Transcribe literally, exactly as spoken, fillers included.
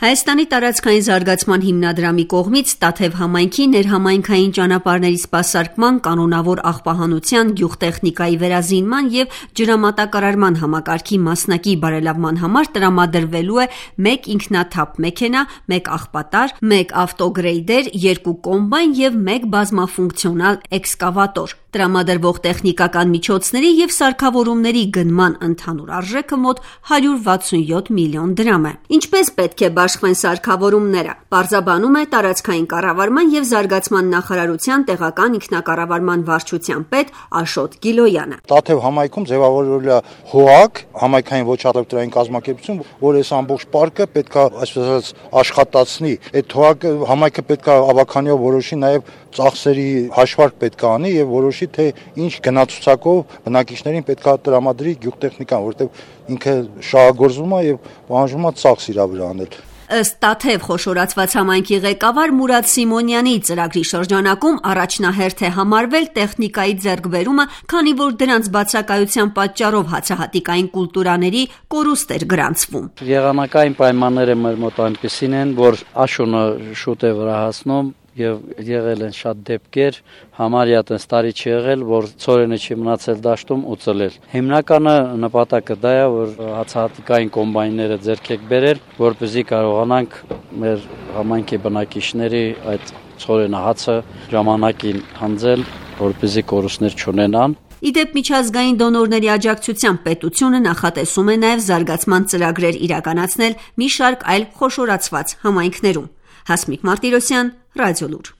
Հայաստանի տարածքային զարգացման հիմնադրամի կողմից Տաթև համայնքի ներհամայնքային ճանապարհների սպասարկման, կանոնավոր աղբահանության, գյուղտեխնիկայի վերազինման և ջրամատակարարման համակարգի մասնակի բարելավման համար տրամադրվելու է մեկ ինքնաթափ մեքենա, մեկ աղբատար, մեկ ավտոգրեյդեր, երկու կոմբայն և մեկ բազմաֆունկցիոնալ էքսկավատոր։ Տրամադրվող տեխնիկական միջոցների և սարքավորումների գնման ընդհանուր արժեքը մոտ հարյուր վաթսունյոթ միլիոն դրամ է։ Ինչպես պետք է բաշխվեն սարքավորումները, պարզաբանում է տարածքային կառավարման և զարգացման նախարարության տեղական ինքնակառավարման վարչության պետ Աշոտ Գիլոյանը։ Տաթև համայնքում ձևավորվել է ՀՕԱԿ, համայնքային ոչ առևտրային կազմակերպություն, որ այս ամբողջ պարկը պետք է, այսպես ասած, աշխատացնի։ Այդ ՀՕԱԿ-ը համայնքը պետք է ավականիով որոշի, նաև ծախսերի հաշվարկ պետք է անի եւ որոշի, թե ինչ գնացուցակով բնակիչներին պետք է տրամադրի գյուղտեխնիկան, որովհետեւ ինքը շահագործվում է եւ պահանջվում է ծախս իր վրա անել։ Ըստ Տաթև խոշորացված համայնքի ղեկավար Մուրադ Սիմոնյանի, ծրագրի շրջանակում առաջնահերթ է համարվել տեխնիկայի ձեռքբերումը, քանի որ դրանց բացակայության պատճառով հացահատիկային կուլտուրաների կորուստ էր գրանցվում։ Եղանակային պայմանները մեր մոտ այնպիսին են, որ աշունը շուտ է վրա հասնում եւ եղել են շատ դեպքեր, համարյա տես տարի չի եղել, որ ծորենը չի մնացել դաշտում ու ծլել։ Հիմնականը նպատակը դա է, որ հացահատիկային կոմբայնները ձեռք եք բերել, որպեսզի կարողանանք մեր համայնքի բնակիչների այդ ծորենը հացը ժամանակին հանձել, որպեսզի կորուստներ չունենան։ Իդեպ միջազգային դոնորների աջակցությամբ պետությունը նախատեսում է նաև զարգացման ծրագրեր իրականացնել մի շարք այլ խոշորացված համայնքներում։ Հասմիկ Մարտիրոսյան, Ռադիոլուր։